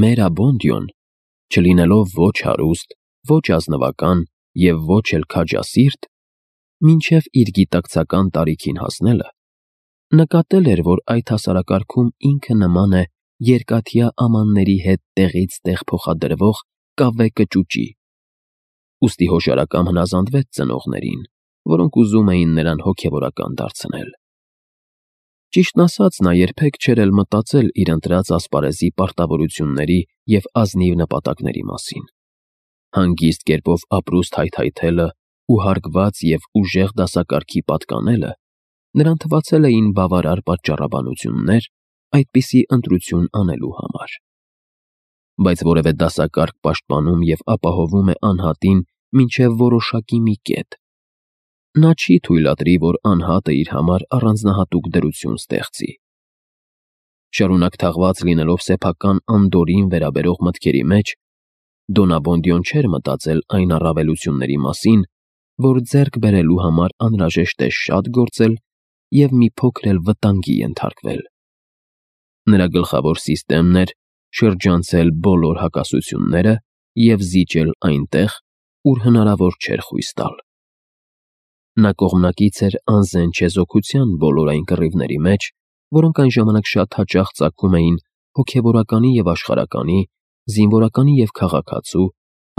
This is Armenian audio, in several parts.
Մերաբոնդիոն, չլինելով ոչ հարուստ, ոչ ազնվական և ոչ էլ քաջասիրտ, մինչև իր գիտակցական տարիքին հասնելը, նկատել էր, որ այդ հասարակարգում ինքը նման է երկաթյա ամանների հետ տեղից տեղ փոխադրվող կավե կճուճի, ուստի հոշարակամ հնազանդվեց ծնողներին, որոնք ուզում էին նրան հոգևորական դարձնել։ Ճիշտն ասած, նա երբեք չէր էլ մտածել իր ընտրած ասպարեզի պարտավորությունների և ազնիվ նպատակների մասին։ Հանգիստ կերպով ապրուստ հայթայթելը ու հարգված և ուժեղ դասակարգի պատկանելը նրան թվացել էին բավարար պատճառաբանություններ այդպիսի ընտրություն անելու համար։ Բայց որևէ դասակարգ պաշտպանում և ապահովում է անհատին մինչև որոշակի մի կետ։ Նա չի թույլատրի, որ անհատը իր համար առանձնահատուկ դրություն ստեղծի։ Շարունակ թաղված լինելով սեփական անդորրին վերաբերող մտքերի մեջ, Դոնաբոնդիոն չէր մտածել այն առավելությունների մասին, որ ձեռք բերելու համար անհրաժեշտ է շատ գործել և մի փոքր էլ վտանգի ենթարկվել։ Նրա գլխավոր սիստեմն էր շրջանցել բոլոր հակասությունները և զիջել այնտեղ, ուր հնարավոր չէր խույս տալ։ Նա կողմնակից էր անզեն չեզոքության բոլոր այն կռիվների մեջ, որոնք այն ժամանակ շատ հաճախ ծագում էին հոգևորականի և աշխարհականի, զինվորականի և քաղաքացու,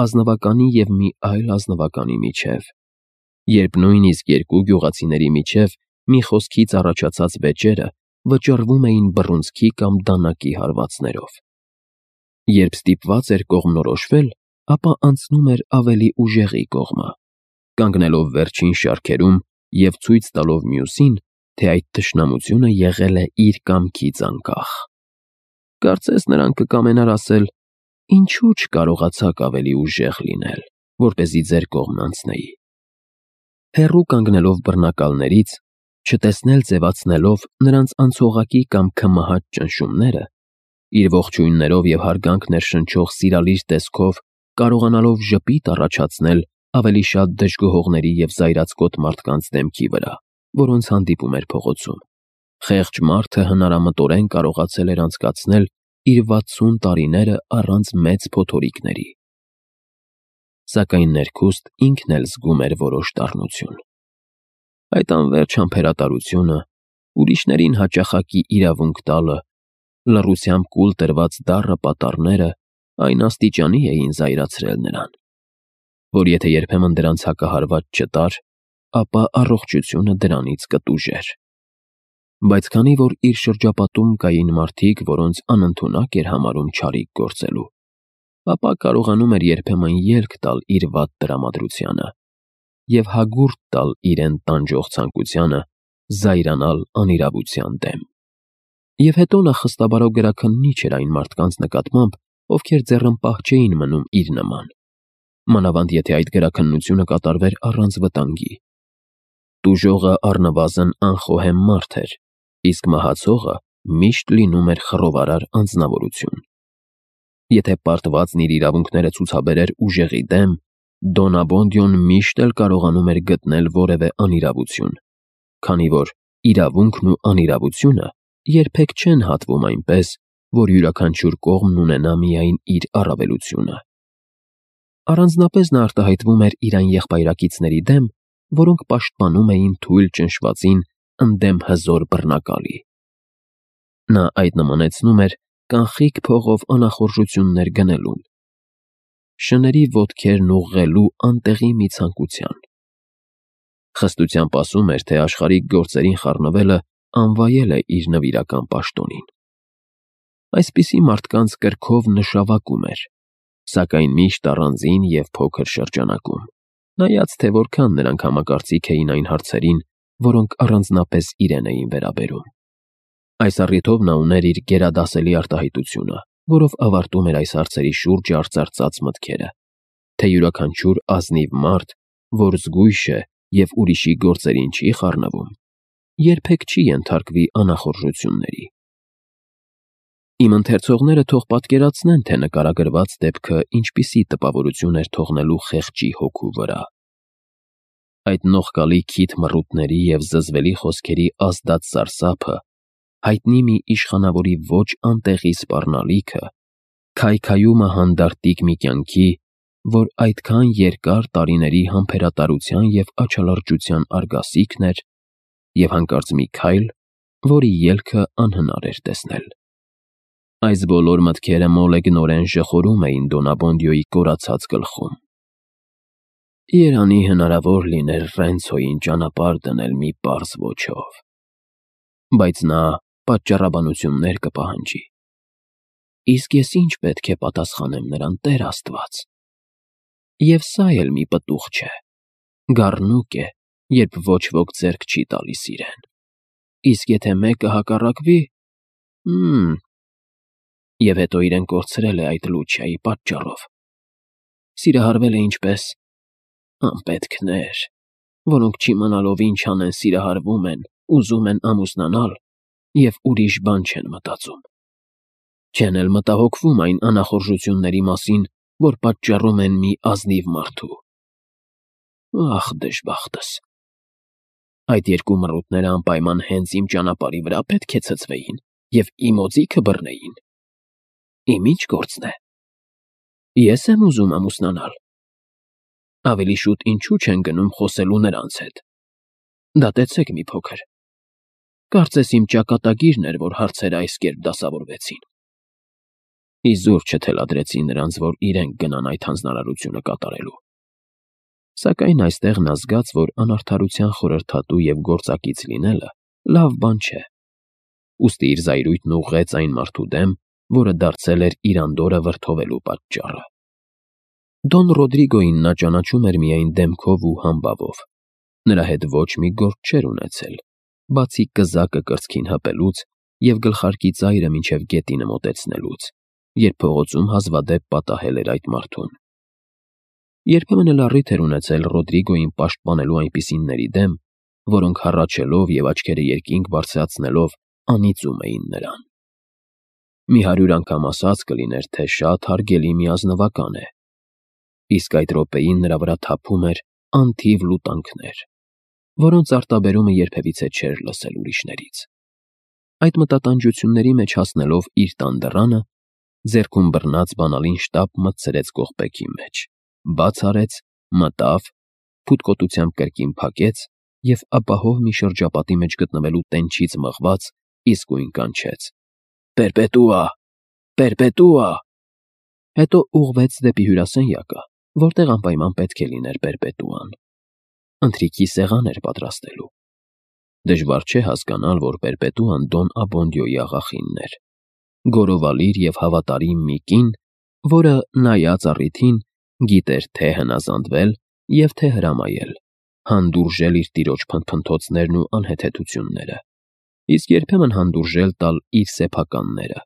ազնվականի և մի այլ ազնվականի միջև, երբ նույնիսկ երկու գյուղացիների միջև մի խոսքից առաջացած վեճերը վճռվում էին բռունցքի կամ դանակի հարվածներով։ Երբ ստիպված էր կողմնորոշվել, ապա անցնում էր ավելի ուժեղի կողմը, կանգնելով վերջին շարքերում և ցույց տալով մյուսին, թե այդ թշնամությունը եղել է իր կամքից անկախ։ Կարծես նրան կկամենար ասել. «Ինչու չկարողացաք ավելի ուժեղ լինել, որպեսզի ձեր կողմն անցնեի»։ Հեռու կանգնելով բռնակալներից, չտեսնել ձևացնելով նրանց անցողակի կամ քմահաճ ճնշումները, իր ողջույններով և հարգանք ներշնչող սիրալիր տեսքով կարողանալով ժպիտ առաջացնել ավելի շատ դժգոհողների և զայրացկոտ մարդկանց դեմքի վրա, որոնց հանդիպում էր փողոցում, խեղճ մարդը հնարամտորեն կարողացել էր անցկացնել իր 60 տարիները առանց մեծ փոթորիկների։ Սակայն ներքուստ ինքն էլ զգում էր որոշ դառնություն։ Այդ անվերջ համբերատարությունը, ուրիշներին հաճախակի իրավունք տալը, լռությամբ կուլ տրված դառը պատառները այն աստիճանի էին զայրացրել նրան, որ եթե երբեմն դրանց հակահարված չտար, ապա առողջությունը դրանից կտուժեր։ Բայց քանի որ իր շրջապատում կային մարդիկ, որոնց անընդունակ էր համարում չարիք գործելու, ապա կարողանում էր երբեմն ելք տալ իր վատ տրամադրությանը և հագուրդ տալ իրեն տանջող ցանկությանը զայրանալ անիրավության դեմ։ Եվ հետո նա խստաբարո գրաքննիչ էր այն մարդկանց նկատմամբ, ովքեր ձեռնպահ չէին մնում իր նման, մանավանդ եթե այդ գրաքննությունը կատարվեր առանց վտանգի։ Տուժողը առնվազն անխոհեմ մարդ էր, իսկ մահացողը միշտ լինում էր խռովարար անձնավորություն։ Եթե պարտվածն իր իրավունքները ցուցաբերեր ուժեղի դեմ, Դոնաբոնդիոն միշտ էլ կարողանում էր գտնել որևէ անիրավություն, քանի որ իրավունքն ու անիրավությունը երբեք չեն հատվում այնպես, որ յուրաքանչյուր կողմն ունենա միայն իր առավելությունը։ Առանձնապես նա արտահայտվում էր իր այն եղբայրակիցների դեմ, որոնք պաշտպանում էին թույլ ճնշվածին ընդդեմ հզոր բռնակալի։ Նա այդ նմանեցնում էր կանխիկ փողով անախորժություններ գնելուն, շների ոտքերն ուղղելու անտեղի մի ցանկության։ Խստությամբ ասում էր, թե աշխարհիկ գործերին խառնվելը անվայել է իր նվիրական պաշտոնին։ Այսպիսի մարդկանց կրքով նշավակում էր, սակայն միշտ առանձին և փոքր շրջանակում, նայած թե որքան նրանք համակարծիք էին այն հարցերին, որոնք առանձնապես իրեն էին վերաբերում։ Այս առիթով նա ուներ իր գերադասելի արտահայտությունը, որով ավարտում էր այս հարցերի շուրջ արծարծած մտքերը, թե յուրաքանչյուր ազնիվ մարդ, որ զգույշ է և ուրիշի գործերին չի խառնվում, երբեք չի ենթարկվի անախորժությունների։ Իմ ընթերցողները թող պատկերացնեն, թե նկարագրված դեպքը ինչպիսի տպավորություն էր թողնելու խեղճի հոգու վրա։ Այդ նողկալի քիթ մռութների և զզվելի խոսքերի ազդած սարսափը, հայտնի մի իշխանավորի ոչ անտեղի սպառնալիքը, Քայքայումը հանդարտիկ մի կյանքի, որ այդքան երկար տարիների համբերատարության և աչալրջության արգասիքն էր, և հանկարծ մի քայլ, որի ելքը անհնար էր տեսնել։ Այս բոլոր մտքերը մոլեգնորեն ժխորում էին Դոնաբոնդյոյի կորացած գլխում։ Երանի հնարավոր լիներ Ռենցոյին ճանապարհ դնել մի պարզ ոճով, բայց նա պատճառաբանություններ կպահանջի։ Իսկ ես ինչ պետք է պատասխանեմ նրան, Տեր Աստված։ Եվ սա էլ մի պտուղ չէ, գառնուկ է, երբ ոչ ոք ձեռք չի տալիս իրեն։ Իսկ եթե մեկը հակառակվի… Եվ հետո իրեն կորցրել է այդ Լուչիայի պատճառով։ Սիրահարվել է ինչպես… անպետքներ, որոնք չիմանալով ինչ անեն սիրահարվում են, ուզում են ամուսնանալ և ուրիշ բան չեն մտածում։ Չեն էլ մտահոգվում այն անախորժությունների մասին, որ պատճառում են մի ազնիվ մարդու։ Ախ, դժբախտս… Այդ երկու մռութները անպայման հենց իմ ճանապարհի վրա պետք է ցցվեին և իմ օձիքը բռնեին։ Իմ ի՞նչ գործն է։ Ես եմ ուզում ամուսնանալ։ Ավելի շուտ ինչու չեն գնում խոսելու նրանց հետ։ Դատեցեք մի փոքր։ Կարծես իմ ճակատագիրն էր, որ հարցերը այս կերպ դասավորվեցին։ Իզուր չթելադրեցի նրանց, որ իրենք գնան այդ հանձնարարությունը կատարելու։ Սակայն այստեղ նա զգաց, որ անարդարության խորհրդատու և գործակից լինելը լավ բան չէ։ Ուստի իր զայրույթն ուղղեց այն մարդու դեմ, որը դարձել էր իր անդորրը վրդովելու պատճառը։ Դոն Ռոդրիգոյին նա ճանաչում էր միայն դեմքով ու համբավով։ Նրա հետ ոչ մի գործ չէր ունեցել, բացի կզակը կրծքին հպելուց և գլխարկի ծայրը մինչև գետինը մոտեցնելուց, երբ փողոցում հազվադեպ պատահել էր այդ մարդուն։ Երբեմն էլ առիթ էր ունեցել Ռոդրիգոյին պաշտպանելու այնպիսիների դեմ, որոնք հառաչելով և աչքերը երկինք բարձրացնելով անիծում էին նրան։ Մի 100 անգամ ասած կլիներ, թե շատ հարգելի մի ազնվական է, իսկ այդ րոպեին նրա վրա թափում էր անթիվ լուտանքներ, որոնց արտաբերումը երբևիցե չէր լսել ուրիշներից։ Այդ մտատանջությունների մեջ հասնելով իր տան դռանը, ձեռքում բռնած բանալին շտապ մտցրեց կողպեքի մեջ, բաց արեց, մտավ, փութկոտությամբ կրկին փակեց և ապահով մի շրջապատի մեջ գտնվելու տենչից մղված իսկույն կանչեց. «Պերպետուա, պերպետուա»։ Հետո ուղղվեց դեպի հյուրասենյակը, որտեղ անպայման պետք է լիներ պերպետուան։ Ընթրիքի սեղան էր պատրաստելու։ Դժվար չէ հասկանալ, որ պերպետուան Դոն Աբոնդիոյի աղախինն էր, գորովալիր և հավատարիմ մի կին, որը, նայած առիթին, գիտեր թե հնազանդվել և թե հրամայել, հանդուրժել իր տիրոջ փնթփնթոցներն ու անհեթեթությունները, իսկ երբեմն հանդուրժել տալ իր սեփականները,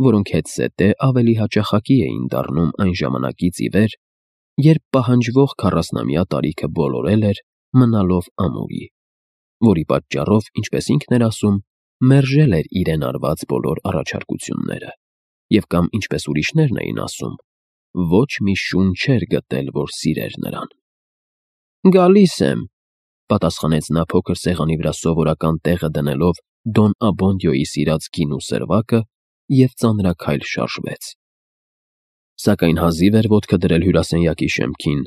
որոնք հետզհետե ավելի հաճախակի էին դառնում այն ժամանակից ի վեր, երբ պահանջվող 40-ամյա տարիքը բոլորել էր, մնալով ամուրի, որի պատճառով, ինչպես ինքն էր ասում, մերժել էր իրեն արված բոլոր առաջարկությունները, և կամ, ինչպես ուրիշներն էին ասում, ոչ մի շուն չէր գտել, որ սիրեր նրան։ «Գալիս եմ», պատասխանեց նա փոքր սեղանի վրա սովորական տեղը դնելով Դոն Աբոնդիոյի սիրած գինու սրվակը և ծանրաքայլ շարժվեց։ Սակայն հազիվ էր ոտքը դրել հյուրասենյակի շեմքին,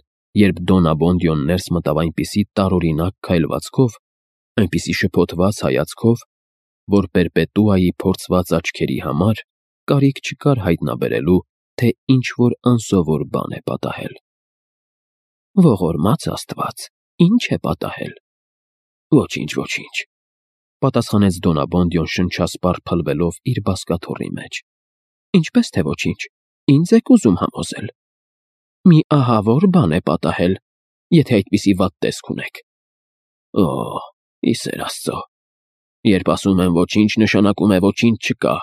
երբ Դոն Աբոնդիոն ներս մտավ այնպիսի տարօրինակ քայլվածքով, այնպիսի շփոթված հայացքով, որ պերպետուայի փորձված աչքերի համար կարիք չկար հայտնաբերելու, թե ինչ-որ անսովոր բան է պատահել։ «Ողորմած Աստված, ի՞նչ է պատահել»։ «Ոչինչ, ոչինչ», պատասխանեց Դոն Աբոնդիոն շնչասպառ փլվելով իր բազկաթոռի մեջ։ «Ինչպես թե ոչինչ, ինձ եք ուզում համոզել։ Մի ահավոր բան է պատահել, եթե այդպիսի վատ տեսք ունեք»։ «Օ, ի սեր Աստծո, երբ ասում եմ ոչինչ, նշանակում է ոչինչ չկա,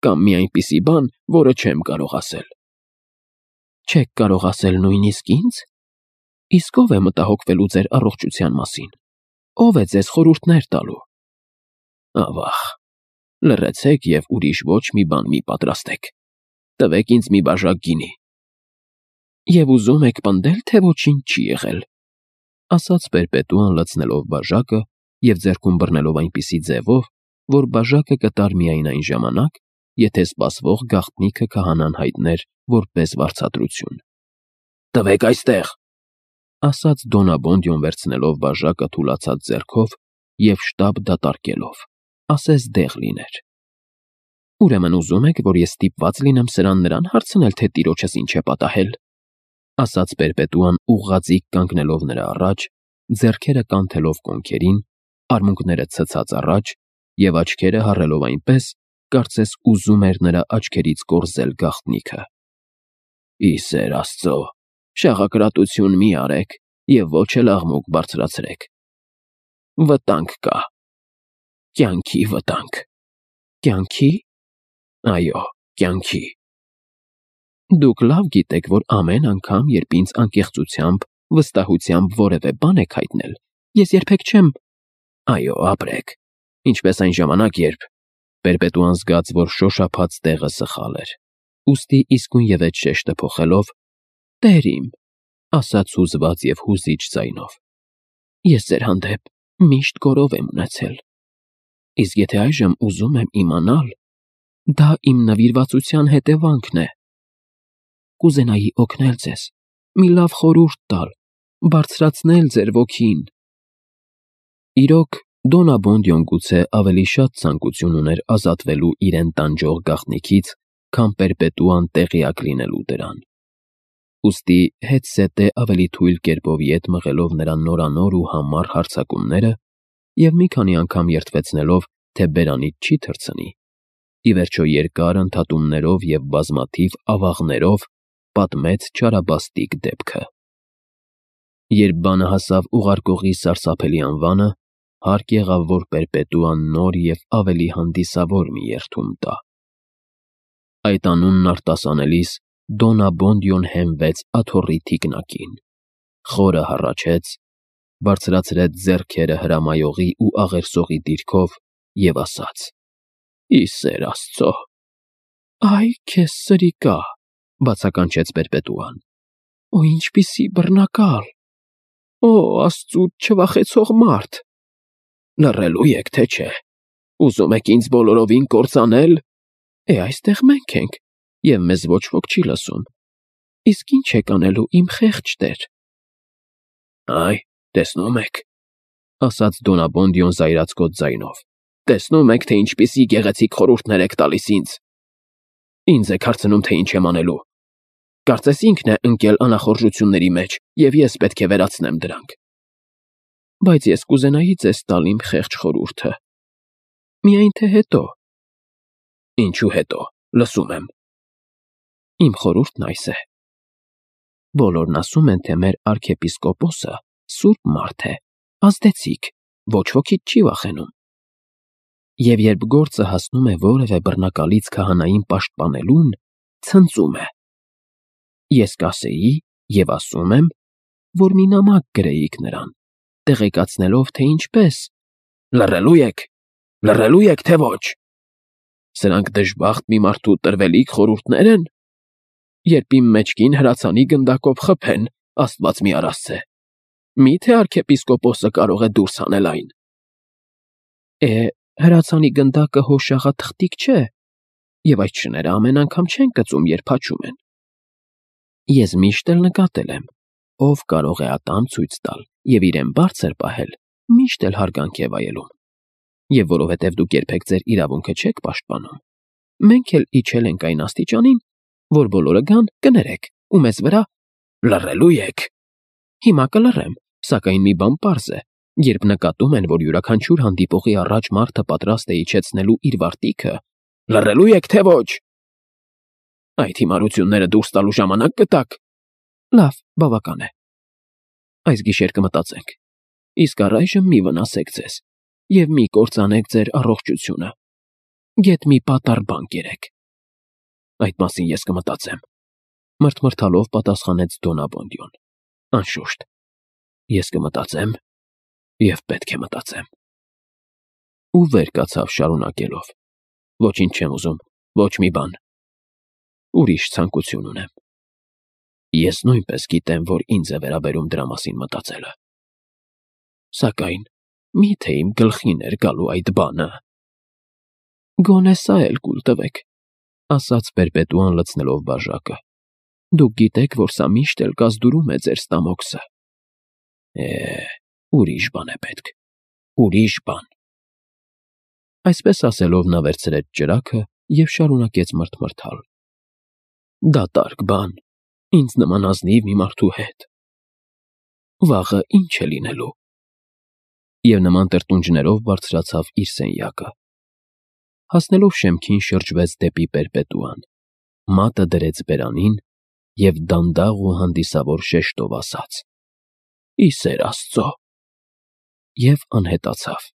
կամ մի այնպիսի բան, որը չեմ կարող ասել»։ «Չեք կարող ասել նույնիսկ ինձ։ Իսկ ո՞վ է մտահոգվելու ձեր առողջության մասին, ո՞վ է ձեզ խորհուրդներ տալու»։ «Ավա՜ղ, լռեցեք և ուրիշ ոչ մի բան մի պատրաստեք, տվեք ինձ մի բաժակ գինի»։ «Եվ ուզում եք պնդել, թե ոչինչ չի եղել», ասաց պերպետուան լցնելով բաժակը և ձեռքում բռնելով այնպիսի ձևով, որ բաժակը կտար միայն այն ժամանակ, եթե սպասվող գաղտնիքը քահանան հայտներ որպես վարձատրություն։ «Տվեք այստեղ», ասաց Դոնաբոնդյոն վերցնելով բաժակը թուլացած ձեռքով և շտապ դատարկելով, ասես դեղ լիներ։ «Ուրեմն ուզում եք, որ ես ստիպված լինեմ սրան նրան հարցնել, թե տիրոջս ինչ է պատահել», ասաց Պերպետուան ուղղաձիգ կանգնելով նրա առաջ, ձեռքերը կանթելով կոնքերին, արմունկները ցցած առաջ և աչքերը հառելով այնպես, կարծես ուզում էր նրա աչքերից կորզել գաղտնիքը։ «Ի սեր Աստծո, շաղակրատություն մի արեք և ոչ էլ աղմուկ բարձրացրեք։ Վտանգ կա, կյանքի վտանգ»։ «Կյանքի»։ Այո, կյանքի։ Դուք լավ գիտեք, որ ամեն անգամ, երբ ինձ անկեղծությամբ, վստահությամբ որևէ բան եք հայտնել, ես երբեք չեմ… Այո, ապրեք, ինչպես այն ժամանակ, երբ… Պերպետուան զգաց, որ շոշափած տեղը սխալ էր, ուստի իսկույնևեթ շեշտը փոխելով. «Տեր իմ», ասաց հուզված և հուզիչ ձայնով, «ես ձեր հանդեպ միշտ գոռով եմ ունեցել, իսկ եթե այժմ ուզում եմ իմանալ, դա իմ նվիրվածության հետևանքն է։ Կուզենայի օգնել ձեզ, մի լավ խորհուրդ տալ, բարձրացնել ձեր ոգին»։ Իրոք, Դոնաբոնդյոն գուցե ավելի շատ ցանկություն ուներ ազատվելու իրեն տանջող գաղտնիքից, քան Պերպետուան տեղյակ լինելու դրան։ Ուստի հետզհետե ավելի թույլ կերպով ետ մղելով նրա նորանոր ու համառ հարձակումները և մի քանի անգամ երդվեցնելով, թե բերանից չի թռցնի, ի վերջո երկար ընդհատումներով և բազմաթիվ ավաղներով պատմեց չարաբաստիկ դեպքը։ Երբ բանը հասավ ուղարկողի սարսափելի անվանը, հարկ եղավ, որ Պերպետուան նոր և ավելի հանդիսավոր մի երդում տա։ Այդ անունն արտասանելիս Դոնաբոնդյոն հենվեց աթոռի թիկնակին, խորը հառաչեց, բարձրացրեց ձեռքերը հրամայողի ու աղերսողի դիրքով և ասաց. «Ի սեր Աստծո»։ «Այ քեզ սրիկա», բացականչեց Պերպետուան, «Օ, ինչպիսի բռնակալ… Օ, Աստծուց չվախեցող մարդ… Լռելու եք, թե չէ… Ուզում եք ինձ բոլորովին կործանել… Այստեղ մենք ենք, և մեզ ոչ ոք չի լսում… Իսկ ի՞նչ եք անելու, իմ խեղճ տեր»։ «Այ, տեսնում եք», ասաց Դոնաբոնդյոն զայրացկոտ ձայնով, «տեսնում եք, թե ինչպիսի գեղեցիկ խորհուրդներ եք տալիս ինձ… Ինձ եք հարցնում, թե ինչ եմ անելու… Կարծես ինքն է ընկել անախորժությունների մեջ, և ես պետք է վերացնեմ դրանք… Բայց ես կուզենայի ձեզ տալ իմ խեղճ խորհուրդը… Միայն թե հետո… Ինչու հետո, լսում եմ… Իմ խորհուրդն այս է. բոլորն ասում են, թե մեր արքեպիսկոպոսը սուրբ մարդ է, ազդեցիկ, ոչ ոքից չի վախենում… Եվ երբ գործը հասնում է որևէ բռնակալից քահանային պաշտպանելուն, ցնծում է… Ես կասեի և ասում եմ, որ մի նամակ գրեիք նրան, տեղեկացնելով, թե ինչպես… Լռելու եք, թե ոչ… Սրանք դժբախտ մի մարդու տրվելիք խորհուրդնե՞ր են… Երբ իմ մեջքին հրացանի գնդակով խփեն, Աստված մի առասցե… Մի՞թե արքեպիսկոպոսը կարող է դուրս հանել այն… Հրացանի գնդակը հո շաղաթղթիկ չէ, և այդ շները ամեն անգամ չեն կծում, երբ հաչում են… Ես միշտ էլ նկատել եմ, ով կարող է ատամ ցույց տալ և իրեն բարձր պահել, միշտ էլ հարգանք է վայելում… Եվ որովհետև դուք երբեք ձեր իրավունքը չեք պաշտպանում, մենք էլ իջել ենք այն աստիճանին, որ բոլորը գան, կներեք ու մեզ վրա… Լռելու եք… Հիմա կլռեմ, սակայն մի բան պարզ է. երբ նկատում են, որ յուրաքանչյուր հանդիպողի առաջ մարդը պատրաստ է իջեցնելու իր վարտիքը… Լռելու եք, թե ոչ… Այդ հիմարությունները դուրս տալու ժամանակ կտաք… Լավ, բավական է… Այս գիշեր կմտածենք… Իսկ առայժմ մի վնասեք ձեզ և մի կործանեք ձեր առողջությունը… Գեթ մի պատառ բան կերեք… Այդ մասին ես կմտածեմ… Մռթմռթալով պատասխանեց Դոնաբոնդյոն… Անշուշտ, ես կմտածեմ և պետք է մտածեմ… Ու վեր կացավ շարունակելով. Ոչինչ չեմ ուզում, ոչ մի բան… Ուրիշ ցանկություն ունեմ… Ես նույնպես գիտեմ, որ ինձ է վերաբերում դրա մասին մտածելը… Սակայն մի՞թե իմ գլխին էր գալու այդ բանը… Գոնե սա էլ կուլ տվեք, ասաց Պերպետուան լցնելով բաժակը։ Դուք գիտեք, որ սա միշտ էլ կազդուրում է ձեր ստամոքսը։ Ուրիշ բան է պետք, ուրիշ բան։ Այսպես ասելով նա վերցրեց ճրագը և շարունակեց մռթմռթալ. Դատարկ բան, ինձ նման ազնիվ մի մարդու հետ։ Վաղը ինչ է լինելու։ Եվ նման տրտունջներով բարձրացավ իր սենյակը։ Հասնելով շեմքին շրջվեց դեպի Պերպետուան, մատը դրեց բերանին և դանդաղ ու հանդիսավոր շեշտով ասաց. «Ի սեր Աստծո» և անհետացավ։